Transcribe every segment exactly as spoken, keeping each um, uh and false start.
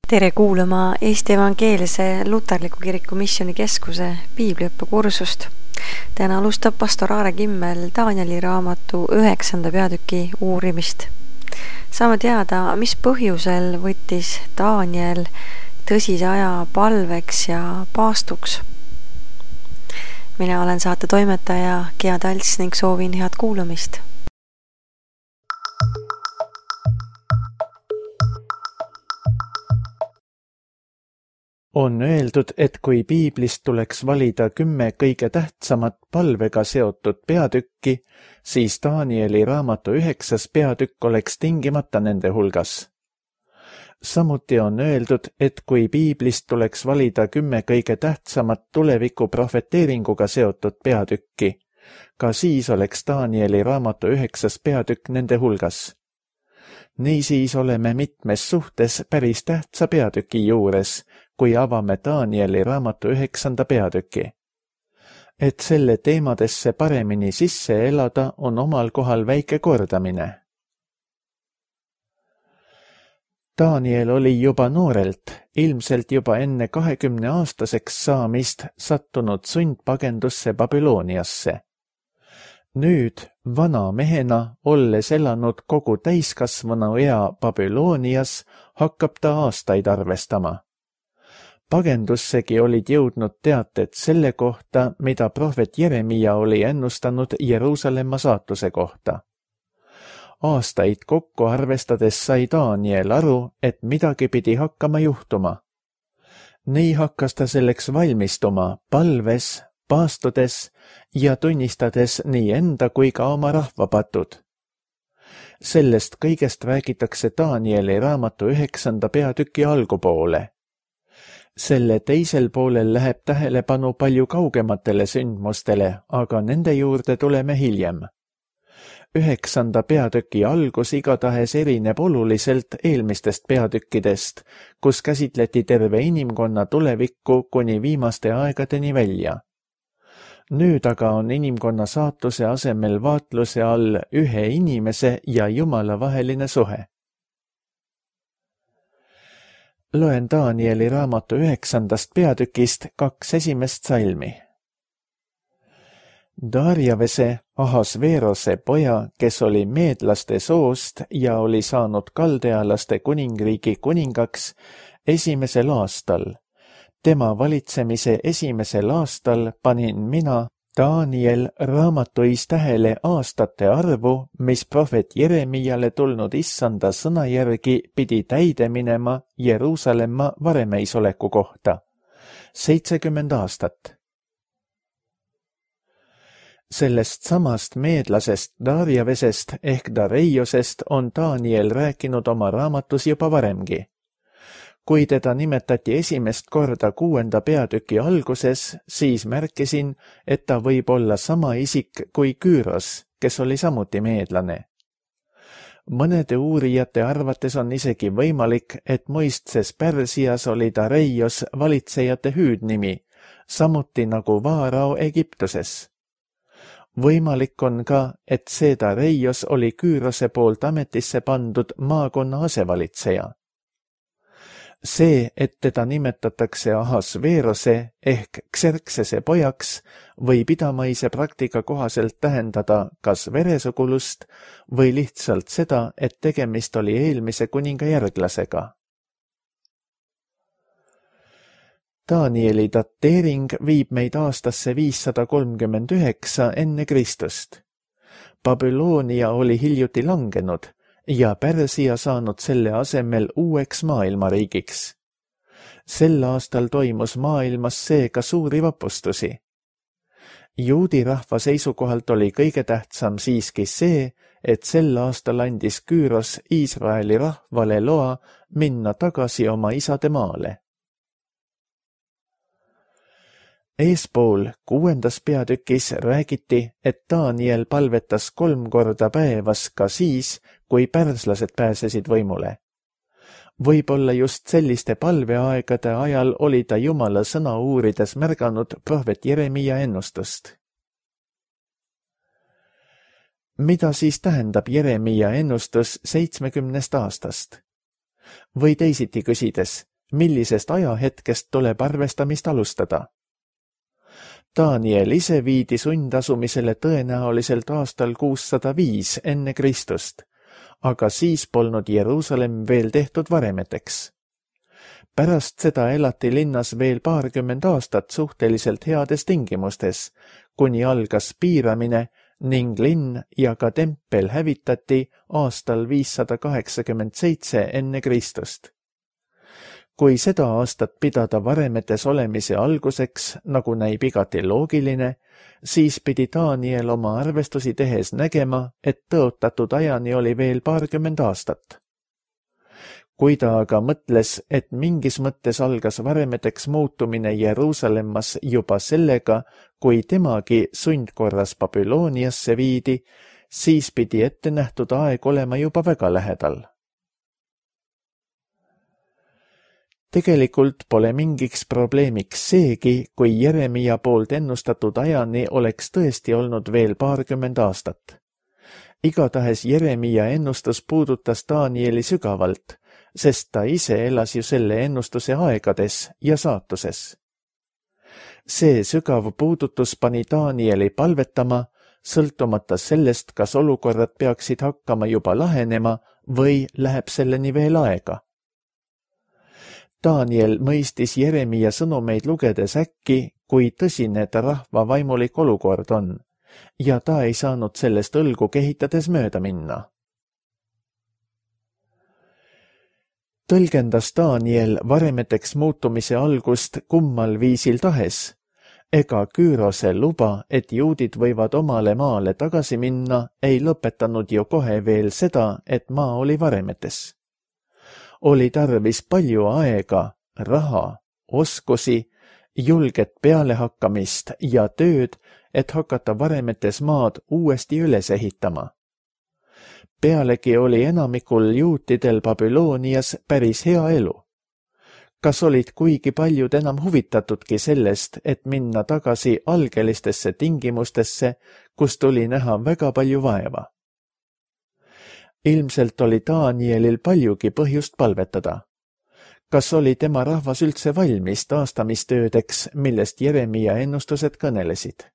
Tere kuulama Eesti Evangeelse Luterliku Kiriku Missioonikeskuse piibliõppekursust. Täna alustab pastor Aare Kimmel Danieli raamatu üheksanda peatüki uurimist. Saame teada, mis põhjusel võttis Daniel tõsise aja palveks ja paastuks. Mina olen saate toimetaja Gea Talts ning soovin head kuulamist. On öeldud, et kui piiblist tuleks valida kümme kõige tähtsamat palvega seotud peatükki, siis Danieli raamatu üheksas peatükk oleks tingimata nende hulgas. Samuti on öeldud, et kui piiblist tuleks valida kümme kõige tähtsamat tuleviku profeteeringuga seotud peatükki, ka siis oleks Danieli raamatu üheksas peatükk nende hulgas. Niisiis oleme mitmes suhtes päris tähtsa peatüki juures, kui avame Danieli raamatu üheksanda peatüki. Et selle teemadesse paremini sisse elada, on omal kohal väike kordamine. Daniel oli juba noorelt, ilmselt juba enne kahekümne aastaseks saamist sattunud sundpagendusse Babyloniasse. Nüüd, vana mehena, olles elanud kogu täiskasvanu ea Babylonias, hakkab ta aastaid arvestama. Pagendussegi olid jõudnud teated selle kohta, mida prohvet Jeremia oli ennustanud Jeruusalemma saatuse kohta. Aastaid kokku arvestades sai Daniel aru, et midagi pidi hakkama juhtuma. Nii hakkas ta selleks valmistuma palves, paastudes ja tunnistades nii enda kui ka oma rahva patud. Sellest kõigest räägitakse Danieli raamatu üheksanda peatüki algupoole. Selle teisel poolel läheb tähelepanu palju kaugematele sündmustele, aga nende juurde tuleme hiljem. Üheksanda peatüki algus igatahes erineb oluliselt eelmistest peatükkidest, kus käsitleti terve inimkonna tulevikku kuni viimaste aegadeni välja. Nüüd aga on inimkonna saatuse asemel vaatluse all ühe inimese ja Jumala vaheline suhe. Loen Danieli raamatu üheksandast peatükist kaks esimest salmi. Darjavese, Ahasveerose poja, kes oli meedlaste soost ja oli saanud kaldealaste kuningriigi kuningaks esimesel aastal. Tema valitsemise esimesel aastal panin mina, Daniel, raamatuis tähele aastate arvu, mis prohvet Jeremiale tulnud issanda sõna järgi pidi täide minema Jeruusalemma varemeisoleku kohta. seitsekümmend aastat. Sellest samast meedlasest Darjavesest ehk Dareiosest on Daniel rääkinud oma raamatus juba varemgi. Kui teda nimetati esimest korda kuuenda peatüki alguses, siis märkisin, et ta võib olla sama isik kui Küüros, kes oli samuti meedlane. Mõnede uurijate arvates on isegi võimalik, et muistses Pärsias oli Dareios valitsejate hüüdnimi, samuti nagu Vaarao Egiptuses. Võimalik on ka, et see Dareios oli Küürose poolt ametisse pandud maakonna asevalitseja. See, et teda nimetatakse Ahasveerose ehk Xerxese pojaks, võib idamaise praktika kohaselt tähendada kas veresugulust või lihtsalt seda, et tegemist oli eelmise kuninga järglasega. Danieli dateering viib meid aastasse viissada kolmkümmend üheksa enne Kristust. Babyloonia oli hiljuti langenud ja Pärsia saanud selle asemel uueks maailmariigiks. Sel aastal toimus maailmas seega suuri vapustusi. Juudi rahva seisukohalt oli kõige tähtsam siiski see, et sel aastal andis Küüros Iisraeli rahvale loa minna tagasi oma isade maale. Eespool kuuendas peatükis räägiti, et Daniel palvetas kolm korda päevas ka siis, kui pärslased pääsesid võimule. Võib-olla just selliste palveaegade ajal oli ta Jumala sõna uurides märganud prohvet Jeremia ennustust. Mida siis tähendab Jeremia ennustus seitsmekümnest aastast? Või teisiti küsides, millisest ajahetkest tuleb arvestamist alustada. Daniel ise viidi sundasumisele tõenäoliselt aastal kuussada viis enne Kristust, aga siis polnud Jeruusalemm veel tehtud varemeteks. Pärast seda elati linnas veel paarkümmend aastat suhteliselt heades tingimustes, kuni algas piiramine ning linn ja ka tempel hävitati aastal viissada kaheksakümmend seitse enne Kristust. Kui seda aastat pidada varemetes olemise alguseks, nagu näib igati loogiline, siis pidi Daniel oma arvestusi tehes nägema, et tõotatud ajani oli veel paarkümmend aastat. Kui ta aga mõtles, et mingis mõttes algas varemeteks muutumine Jeruusalemmas juba sellega, kui temagi sundkorras Babyloniasse viidi, siis pidi ette nähtud aeg olema juba väga lähedal. Tegelikult pole mingiks probleemiks seegi, kui Jeremia poolt ennustatud ajani oleks tõesti olnud veel paarkümmend aastat. Igatahes Jeremia ennustus puudutas Danieli sügavalt, sest ta ise elas ju selle ennustuse aegades ja saatuses. See sügav puudutus pani Danieli palvetama, sõltumata sellest, kas olukorrad peaksid hakkama juba lahenema või läheb selleni veel aega. Daniel mõistis Jeremia sõnumeid lugedes äkki, kui tõsine ta rahva vaimulik olukord on, ja ta ei saanud sellest õlgu kehitades mööda minna. Tõlgendas Daniel varemeteks muutumise algust kummal viisil tahes, ega Küürose luba, et juudid võivad omale maale tagasi minna, ei lõpetanud ju kohe veel seda, et maa oli varemetes. Oli tarvis palju aega, raha, oskusi, julget pealehakkamist ja tööd, et hakata varemetes maad uuesti üles ehitama. Pealegi oli enamikul juutidel Babylonias päris hea elu. Kas olid kuigi paljud enam huvitatudki sellest, et minna tagasi algelistesse tingimustesse, kus tuli näha väga palju vaeva? Ilmselt oli Danielil paljugi põhjust palvetada. Kas oli tema rahvas üldse valmis taastamistöödeks, millest Jeremia ennustused kõnelesid?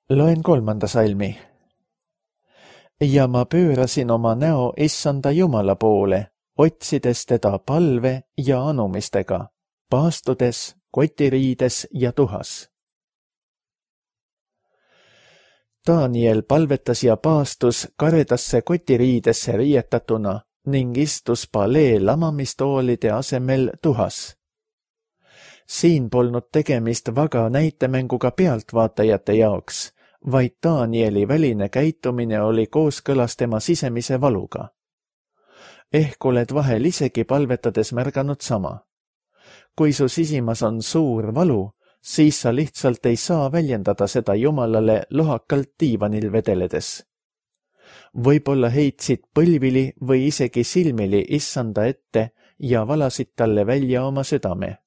Loen kolmanda salmi. Ja ma pöörasin oma näo issanda Jumala poole, otsides teda palve ja anumistega, paastudes, kotiriides ja tuhas. Daniel palvetas ja paastus karedasse kotiriidesse riietatuna ning istus palee lamamistoolide asemel tuhas. Siin polnud tegemist vaga näitemänguga pealtvaatajate jaoks, vaid Danieli väline käitumine oli kooskõlas tema sisemise valuga. Ehk oled vahel isegi palvetades märganud sama. Kui su sisimas on suur valu, siis sa lihtsalt ei saa väljendada seda Jumalale lohakalt diivanil vedeledes. Võib-olla heitsid põlvili või isegi silmili issanda ette ja valasid talle välja oma südame.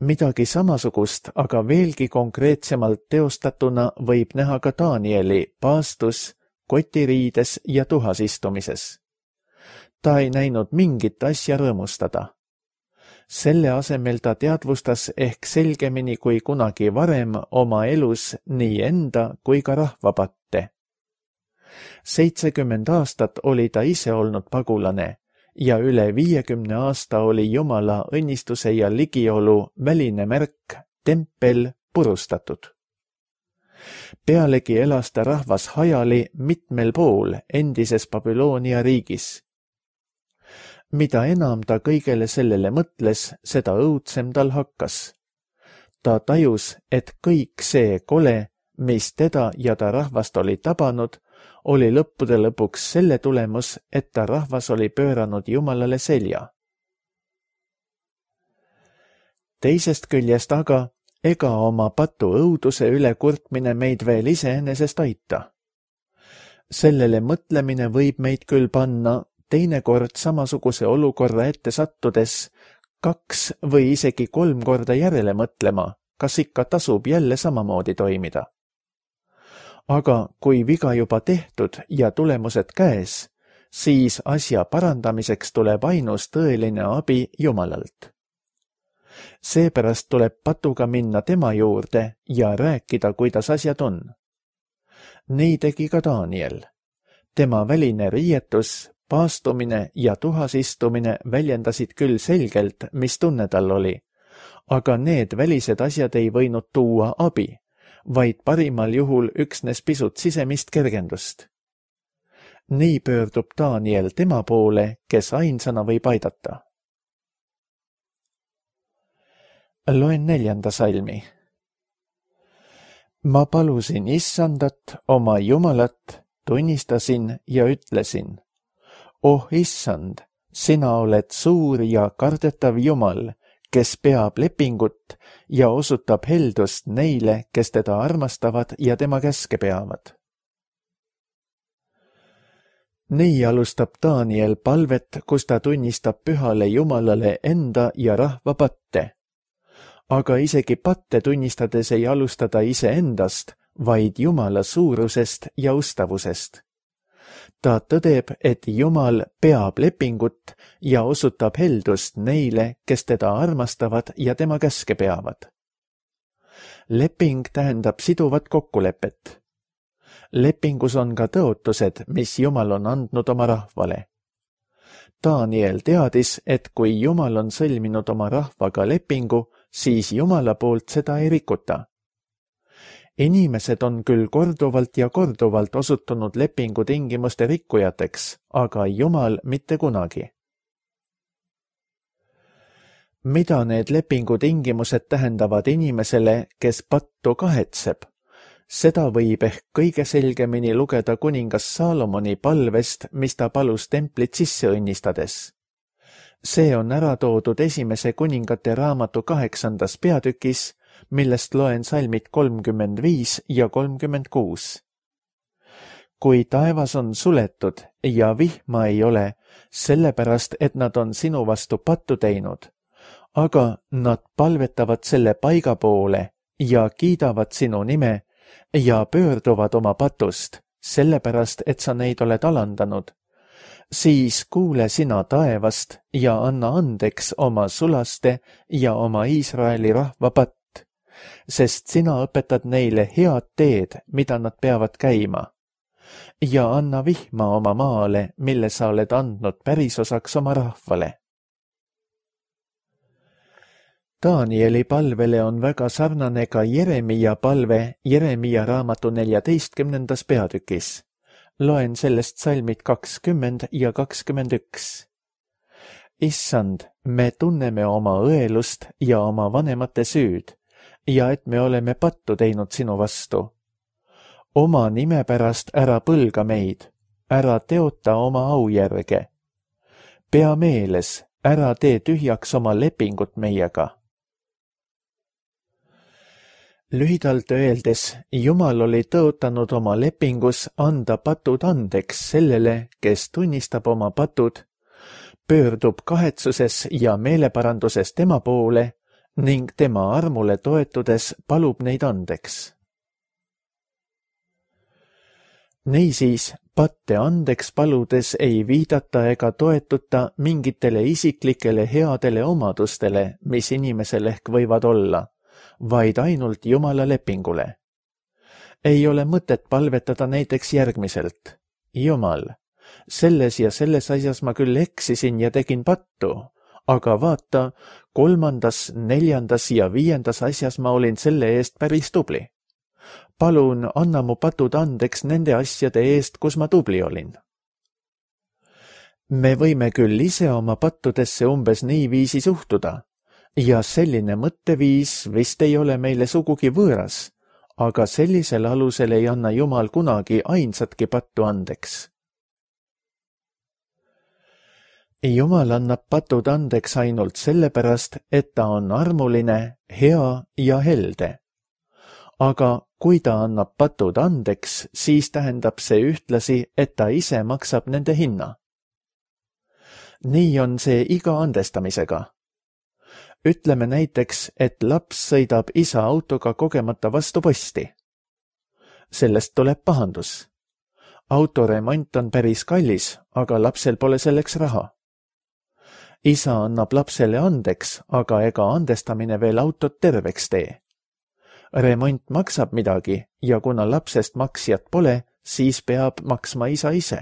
Midagi samasugust, aga veelgi konkreetsemalt teostatuna võib näha ka Danieli paastus, kotiriides ja tuhas istumises. Ta ei näinud mingit asja rõõmustada. Selle asemel ta teadvustas ehk selgemini kui kunagi varem oma elus nii enda kui ka rahva patte. seitsekümmend aastat oli ta ise olnud pagulane ja üle viiekümne aasta oli Jumala õnnistuse ja ligiolu väline märk, tempel purustatud. Pealegi elas ta rahvas hajali mitmel pool endises Babyloonia riigis. Mida enam ta kõigele sellele mõtles, seda õudsem tal hakkas. Ta tajus, et kõik see kole, mis teda ja ta rahvast oli tabanud, oli lõppude lõpuks selle tulemus, et ta rahvas oli pööranud Jumalale selja. Teisest küljest aga, ega oma patu õuduse üle kurtmine meid veel iseenesest aita. Sellele mõtlemine võib meid küll panna teinekord samasuguse olukorra ette sattudes kaks või isegi kolm korda järele mõtlema, kas ikka tasub jälle samamoodi toimida. Aga kui viga juba tehtud ja tulemused käes, siis asja parandamiseks tuleb ainus tõeline abi Jumalalt. Seepärast tuleb patuga minna tema juurde ja rääkida, kuidas asjad on. Nii tegi ka Daniel. Tema väline riietus, paastumine ja tuhas istumine väljendasid küll selgelt, mis tunne tal oli, aga need välised asjad ei võinud tuua abi, vaid parimal juhul üksnes pisut sisemist kergendust. Nii pöördub Daniel tema poole, kes ainsana võib aidata. Loen neljanda salmi. Ma palusin Issandat, oma Jumalat, tunnistasin ja ütlesin, oh Issand, sina oled suur ja kardetav Jumal, kes peab lepingut ja osutab heldust neile, kes teda armastavad ja tema käske peavad. Nii alustab Daniel palvet, kus ta tunnistab pühale Jumalale enda ja rahva patte. Aga isegi patte tunnistades ei alusta ta iseendast, vaid Jumala suurusest ja ustavusest. Ta tõdeb, et Jumal peab lepingut ja osutab heldust neile, kes teda armastavad ja tema käske peavad. Leping tähendab siduvat kokkulepet. Lepingus on ka tõotused, mis Jumal on andnud oma rahvale. Daniel teadis, et kui Jumal on sõlminud oma rahvaga lepingu, siis Jumala poolt seda ei rikuta. Inimesed on küll korduvalt ja korduvalt osutunud lepingu tingimuste rikkujateks, aga Jumal mitte kunagi. Mida need lepingu tingimused tähendavad inimesele, kes pattu kahetseb? Seda võib ehk kõige selgemini lugeda kuningas Saalomoni palvest, mis ta palus templit sisse õnnistades. See on ära toodud esimese kuningate raamatu kaheksandas peatükis, millest loen salmid kolmkümmend viis ja kolmkümmend kuus. Kui taevas on suletud ja vihma ei ole, sellepärast, et nad on sinu vastu pattu teinud, aga nad palvetavad selle paiga poole ja kiidavad sinu nime ja pöörduvad oma patust, sellepärast, et sa neid oled alandanud, siis kuule sina taevast ja anna andeks oma sulaste ja oma Iisraeli rahva patt, sest sina õpetad neile head teed, mida nad peavad käima, ja anna vihma oma maale, mille sa oled andnud pärisosaks oma rahvale. Danieli palvele on väga sarnane ka Jeremia palve Jeremia raamatu neljateistkümnendas peatükis. Loen sellest salmid kakskümmend ja kakskümmend üks. Issand, me tunneme oma õelust ja oma vanemate süüd, ja et me oleme pattu teinud sinu vastu. Oma nime pärast ära põlga meid, ära teota oma au järge. Pea meeles, ära tee tühjaks oma lepingut meiega. Lühidalt öeldes, Jumal oli tõotanud oma lepingus anda patud andeks sellele, kes tunnistab oma patud, pöördub kahetsuses ja meeleparanduses tema poole ning tema armule toetudes palub neid andeks. Niisiis, patte andeks paludes ei viidata ega toetuta mingitele isiklikele headele omadustele, mis inimesel ehk võivad olla, vaid ainult Jumala lepingule. Ei ole mõtet palvetada näiteks järgmiselt. Jumal, selles ja selles asjas ma küll eksisin ja tegin pattu, aga vaata, kolmandas, neljandas ja viiendas asjas ma olin selle eest päris tubli. Palun, anna mu patud andeks nende asjade eest, kus ma tubli olin. Me võime küll ise oma pattudesse umbes niiviisi suhtuda, ja selline mõtteviis vist ei ole meile sugugi võõras, aga sellisel alusel ei anna Jumal kunagi ainsatki pattu andeks. Jumal annab patud andeks ainult sellepärast, et ta on armuline, hea ja helde. Aga kui ta annab patud andeks, siis tähendab see ühtlasi, et ta ise maksab nende hinna. Nii on see iga andestamisega. Ütleme näiteks, et laps sõidab isa autoga kogemata vastu posti. Sellest tuleb pahandus. autoremont on päris kallis, aga lapsel pole selleks raha. Isa annab lapsele andeks, aga ega andestamine veel autot terveks tee. Remont maksab midagi ja kuna lapsest maksjat pole, siis peab maksma isa ise.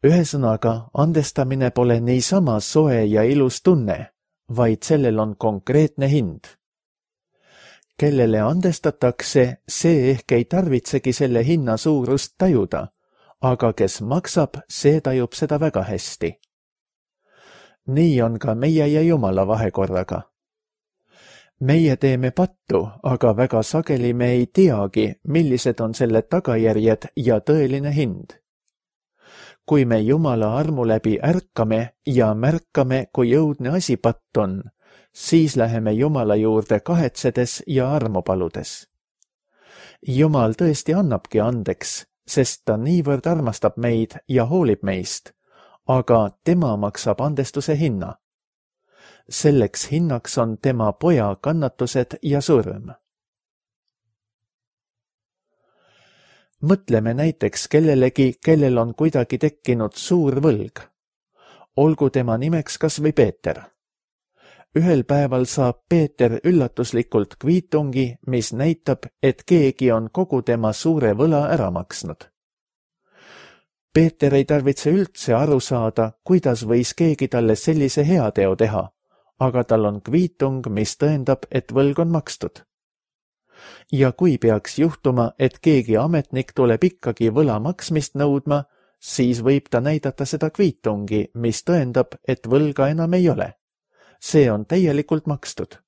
Ühesõnaga, andestamine pole niisama soe ja ilus tunne, vaid sellel on konkreetne hind. Kellele andestatakse, see ehk ei tarvitsegi selle hinna suurust tajuda, aga kes maksab, see tajub seda väga hästi. Nii on ka meie ja Jumala vahekorraga. Meie teeme pattu, aga väga sageli me ei teagi, millised on selle tagajärjed ja tõeline hind. Kui me Jumala armu läbi ärkame ja märkame, kui õudne asi patt on, siis läheme Jumala juurde kahetsedes ja armu paludes. Jumal tõesti annabki andeks, sest ta niivõrd armastab meid ja hoolib meist, aga tema maksab andestuse hinna. Selleks hinnaks on tema poja kannatused ja surm. Mõtleme näiteks kellelegi, kellel on kuidagi tekkinud suur võlg. Olgu tema nimeks kas või Peeter. Ühel päeval saab Peeter üllatuslikult kviitungi, mis näitab, et keegi on kogu tema suure võla ära maksnud. Peeter ei tarvitse üldse aru saada, kuidas võis keegi talle sellise heateo teha, aga tal on kviitung, mis tõendab, et võlg on makstud. Ja kui peaks juhtuma, et keegi ametnik tuleb ikkagi võla maksmist nõudma, siis võib ta näidata seda kviitungi, mis tõendab, et võlga enam ei ole. See on täielikult makstud.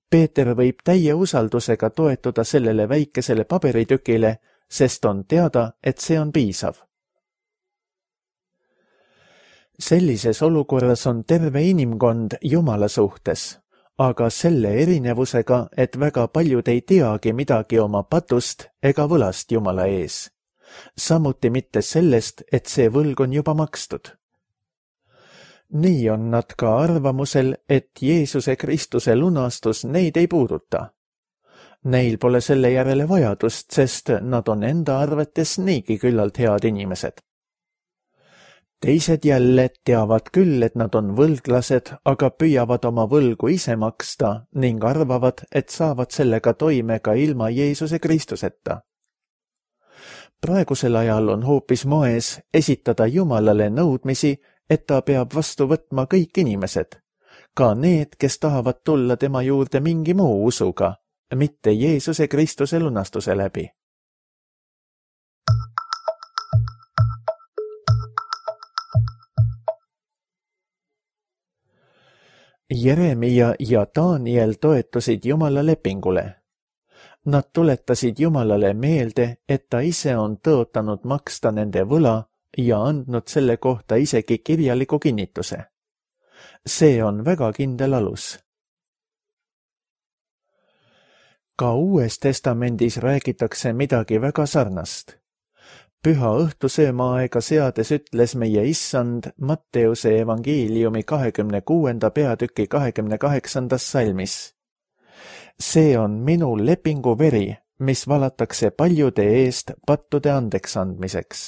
Peeter võib täie usaldusega toetuda sellele väikesele paberitükile, sest on teada, et see on piisav. Sellises olukorras on terve inimkond Jumala suhtes, aga selle erinevusega, et väga paljud ei teagi midagi oma patust ega võlast Jumala ees. Samuti mitte sellest, et see võlg on juba makstud. Nii on nad ka arvamusel, et Jeesuse Kristuse lunastus neid ei puuduta. Neil pole selle järele vajadust, sest nad on enda arvates niigi küllalt head inimesed. Teised jälle teavad küll, et nad on võlglased, aga püüavad oma võlgu ise maksta ning arvavad, et saavad sellega toime ka ilma Jeesuse Kristuseta. Praegusel ajal on hoopis moes esitada Jumalale nõudmisi, et ta peab vastu võtma kõik inimesed, ka need, kes tahavad tulla tema juurde mingi muu usuga, mitte Jeesuse Kristuse lunastuse läbi. Jeremia ja Daniel toetusid Jumala lepingule. Nad tuletasid Jumalale meelde, et ta ise on tõotanud maksta nende võla ja andnud selle kohta isegi kirjaliku kinnituse. See on väga kindel alus. Ka Uues Testamendis räägitakse midagi väga sarnast. Püha õhtusöömaaega seades ütles meie issand Matteuse evangeeliumi kahekümne kuuenda peatüki kahekümne kaheksandas salmis. See on minu lepingu veri, mis valatakse paljude eest pattude andeks andmiseks.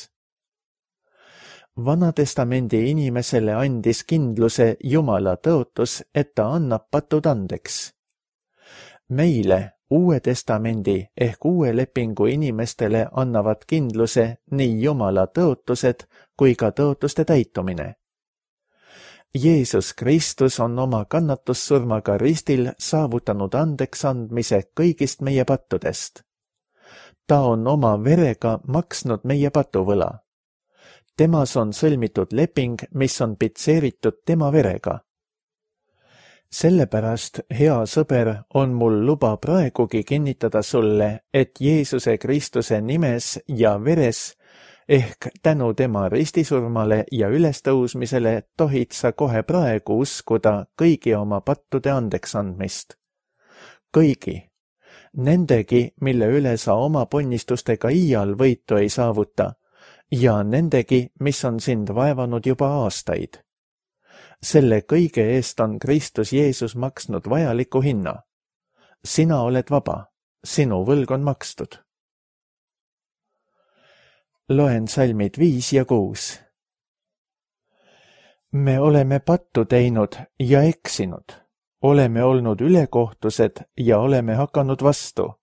Vanatestamendi inimesele andis kindluse Jumala tõotus, et ta annab patud andeks. Meile Uue Testamendi ehk uue lepingu inimestele annavad kindluse nii Jumala tõotused kui ka tõotuste täitumine. Jeesus Kristus on oma kannatussurmaga ristil saavutanud andeks andmise kõigist meie pattudest. Ta on oma verega maksnud meie patuvõla. Temas on sõlmitud leping, mis on pitseeritud tema verega. Sellepärast, hea sõber, on mul luba praegugi kinnitada sulle, et Jeesuse Kristuse nimes ja veres ehk tänu tema ristisurmale ja ülestõusmisele tohid sa kohe praegu uskuda kõigi oma pattude andeks andmist. Kõigi. Nendegi, mille üle sa oma ponnistustega iial võitu ei saavuta, ja nendegi, mis on sind vaevanud juba aastaid. Selle kõige eest on Kristus Jeesus maksnud vajaliku hinna. Sina oled vaba, sinu võlg on makstud. loen salmid viis ja kuus. Me oleme pattu teinud ja eksinud, oleme olnud ülekohtused ja oleme hakanud vastu.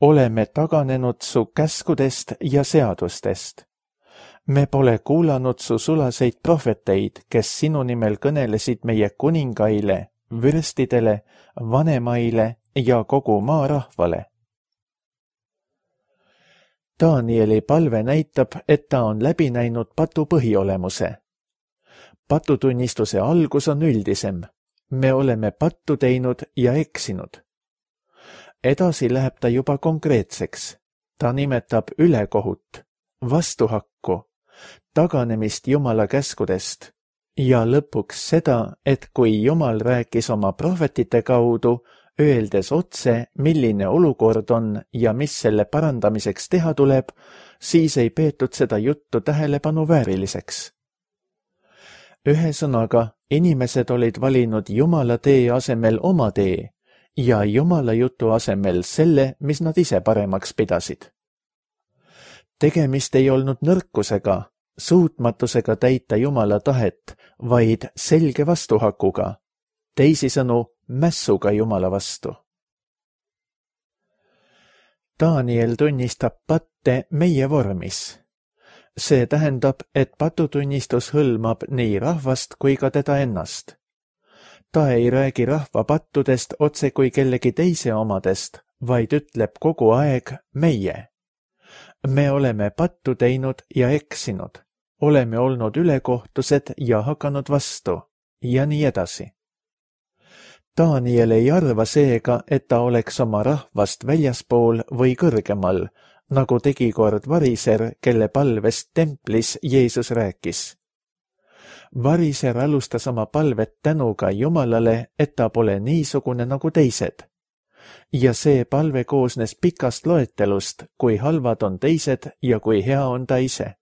Oleme taganenud su käskudest ja seadustest. Me pole kuulanud su sulaseid prohveteid, kes sinu nimel kõnelesid meie kuningaile, vürstidele, vanemaile ja kogu maarahvale. Danieli palve näitab, et ta on läbi näinud patu põhiolemuse. Patutunnistuse algus on üldisem. Me oleme pattu teinud ja eksinud. Edasi läheb ta juba konkreetseks. Ta nimetab ülekohut, vastuhakku, taganemist Jumala käskudest ja lõpuks seda, et kui Jumal rääkis oma prohvetite kaudu, öeldes otse, milline olukord on ja mis selle parandamiseks teha tuleb, siis ei peetud seda juttu tähelepanu vääriliseks. Ühesõnaga, inimesed olid valinud Jumala tee asemel oma tee ja Jumala jutu asemel selle, mis nad ise paremaks pidasid. Tegemist ei olnud nõrkusega, suutmatusega täita Jumala tahet, vaid selge vastuhakuga, teisisõnu mässuga Jumala vastu. Daniel tunnistab patte meie vormis. See tähendab, et patutunnistus hõlmab nii rahvast kui ka teda ennast. Ta ei räägi rahva pattudest otse kui kellegi teise omadest, vaid ütleb kogu aeg meie. Me oleme pattu teinud ja eksinud, oleme olnud ülekohtused ja hakanud vastu ja nii edasi. Daniel ei arva seega, et ta oleks oma rahvast väljaspool või kõrgemal, nagu tegi kord variser, kelle palvest templis Jeesus rääkis. Variser alustas oma palvet tänuga Jumalale, et ta pole niisugune nagu teised. Ja see palve koosnes pikast loetelust, kui halvad on teised ja kui hea on ta ise.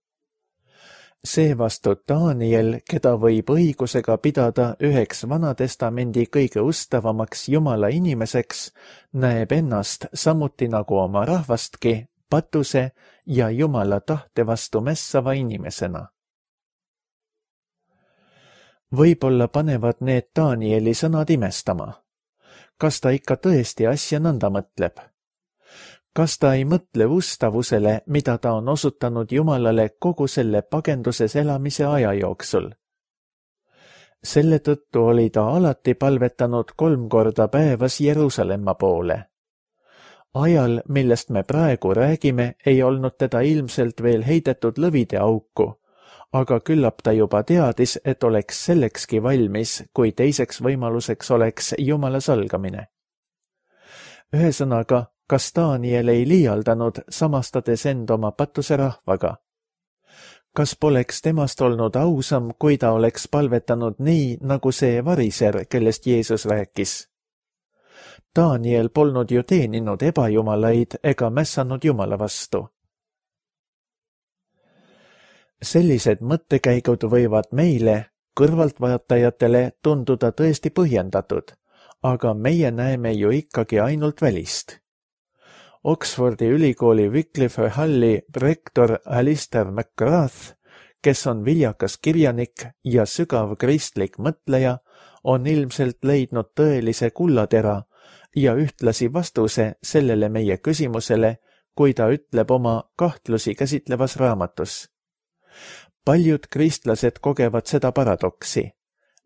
Seevastu Daniel, keda võib õigusega pidada üheks Vanatestamendi kõige ustavamaks Jumala inimeseks, näeb ennast samuti nagu oma rahvastki patuse ja Jumala tahte vastu mässava inimesena. Võib-olla panevad need Danieli sõnad imestama. Kas ta ikka tõesti asja nõnda mõtleb? Kas ta ei mõtle ustavusele, mida ta on osutanud Jumalale kogu selle pagenduses elamise aja jooksul? Selle tõttu oli ta alati palvetanud kolm korda päevas Jeruusalemma poole. Ajal, millest me praegu räägime, ei olnud teda ilmselt veel heidetud lõvide auku, aga küllap ta juba teadis, et oleks sellekski valmis, kui teiseks võimaluseks oleks Jumala salgamine. Ühesõnaga, kas Daniel ei liialdanud, samastades end oma patuse rahvaga? Kas poleks temast olnud ausam, kui ta oleks palvetanud nii, nagu see variser, kellest Jeesus rääkis? Daniel polnud ju teeninud ebajumalaid ega mässanud Jumala vastu. Sellised mõttekäigud võivad meile, kõrvaltvaatajatele, tunduda tõesti põhjendatud, aga meie näeme ju ikkagi ainult välist. Oxfordi ülikooli Wycliffe Halli rektor Alistair McGrath, kes on viljakas kirjanik ja sügav kristlik mõtleja, on ilmselt leidnud tõelise kullatera ja ühtlasi vastuse sellele meie küsimusele, kui ta ütleb oma kahtlusi käsitlevas raamatus. Paljud kristlased kogevad seda paradoksi.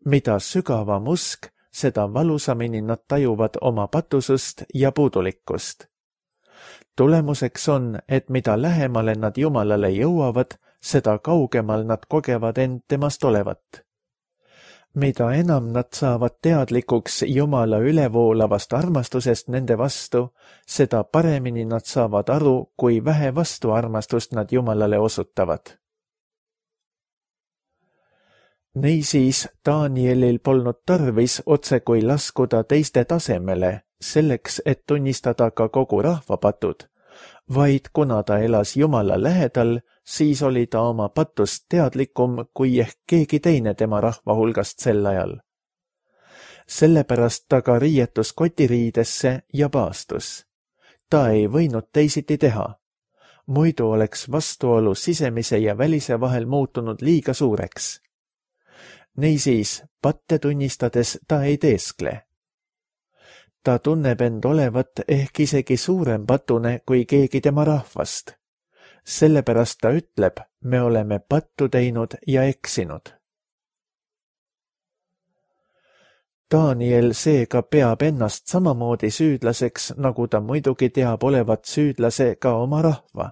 Mida sügavam usk, seda valusamini nad tajuvad oma patusust ja puudulikkust. Tulemuseks on, et mida lähemale nad Jumalale jõuavad, seda kaugemal nad kogevad end temast olevat. Mida enam nad saavad teadlikuks Jumala ülevoolavast armastusest nende vastu, seda paremini nad saavad aru, kui vähe vastuarmastust nad Jumalale osutavad. Niisiis, Danielil polnud tarvis otse kui laskuda teiste tasemele, selleks, et tunnistada ka kogu rahva patud, vaid kuna ta elas Jumala lähedal, siis oli ta oma patust teadlikum kui ehk keegi teine tema rahva hulgast sel ajal. Sellepärast ta ka riietus kotiriidesse ja paastus. Ta ei võinud teisiti teha. muidu oleks vastuolu sisemise ja välise vahel muutunud liiga suureks. Niisiis, patte tunnistades ta ei teeskle. Ta tunneb end olevat ehk isegi suurem patune kui keegi tema rahvast. Sellepärast ta ütleb, me oleme pattu teinud ja eksinud. Daniel seega peab ennast samamoodi süüdlaseks, nagu ta muidugi teab olevat süüdlase ka oma rahva.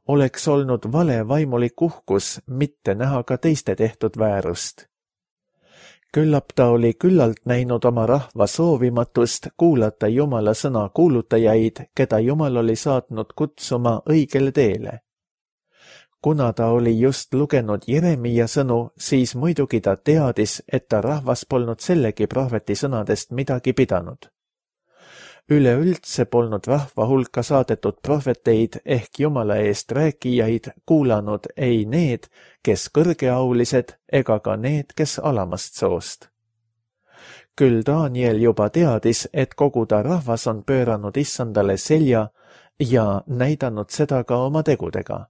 Oleks olnud vale vaimulik uhkus mitte näha ka teiste tehtud väärust. Küllap ta oli küllalt näinud oma rahva soovimatust kuulata Jumala sõna kuulutajaid, keda Jumal oli saatnud kutsuma õigele teele. Kuna ta oli just lugenud Jeremia sõnu, siis muidugi ta teadis, et ta rahvas polnud sellegi prohveti sõnadest midagi pidanud. Üleüldse polnud rahva hulka saadetud prohveteid ehk Jumala eest rääkijaid kuulanud ei need, kes kõrgeaulised, ega ka need, kes alamast soost. Küll Daniel juba teadis, et kogu ta rahvas on pööranud issandale selja ja näidanud seda ka oma tegudega.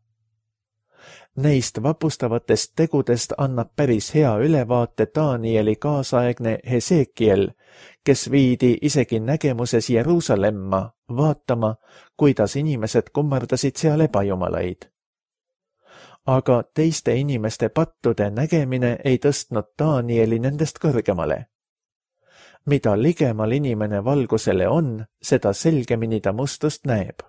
Neist vapustavatest tegudest annab päris hea ülevaate Danieli kaasaegne Hesekiel, kes viidi isegi nägemuses Jeruusalemma vaatama, kuidas inimesed kummardasid seal ebajumalaid. Aga teiste inimeste pattude nägemine ei tõstnud Danieli nendest kõrgemale. Mida ligemal inimene valgusele on, seda selgemini ta mustust näeb.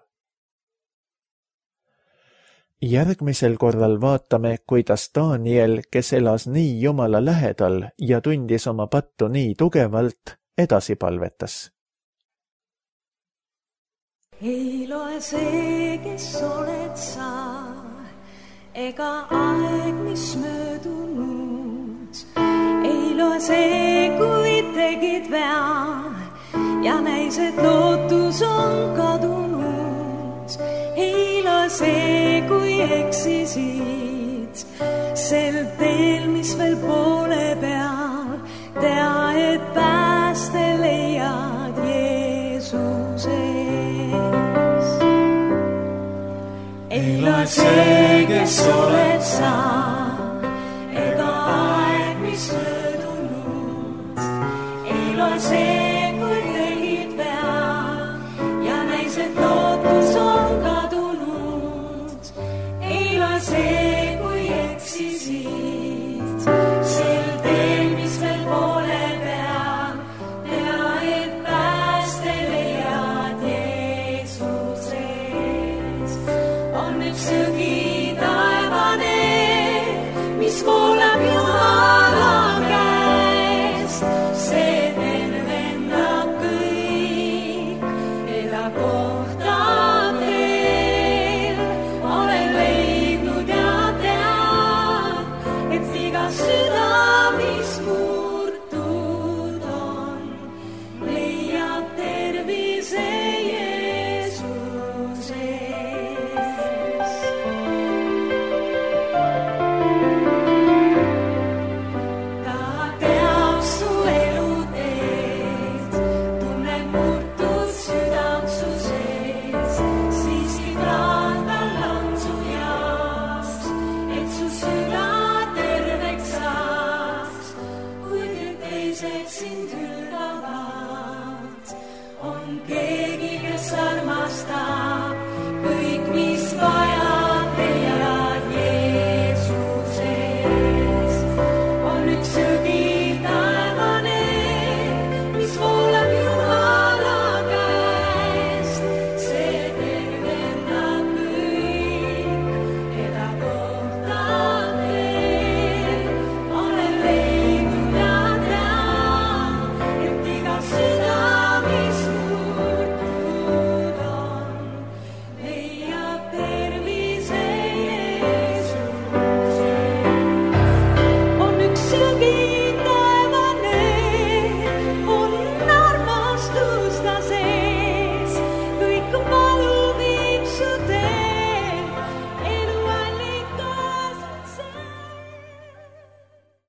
Järgmisel korral vaatame, kuidas Daniel, kes elas nii Jumala lähedal ja tundis oma pattu nii tugevalt, edasi palvetas. Ei loe see, kes oled sa, ega aeg, mis möödunud. Ei loe see, kui tegid vea ja näis, et lootus on kadunud. Ei loe see, kui eksisid sel teel, mis veel poole peal, tea, et pääste leiad Jeesuses. Ei loe see, kes oled sa, ega aeg, mis möödunud. Ei loe see, kui tegid vea ja näis, et lootus on kadunud. Ei loe see, kui eksisid sel teel, mis veel poole peal, tea, et pääste leiad Jeesuses. On üks sõgi taevane, mis voolab Jumala käest, see tervendab kõik, keda kohtab veel. Olen leidnud ja tean, et iga süda, mis murtud on, leiab tervise Jeesuses. Ta teab su eluteed, tunneb murtud südamsu sees, siiski praadal on su jaoks, et su süda terveks saaks, kui kõik teised sind üle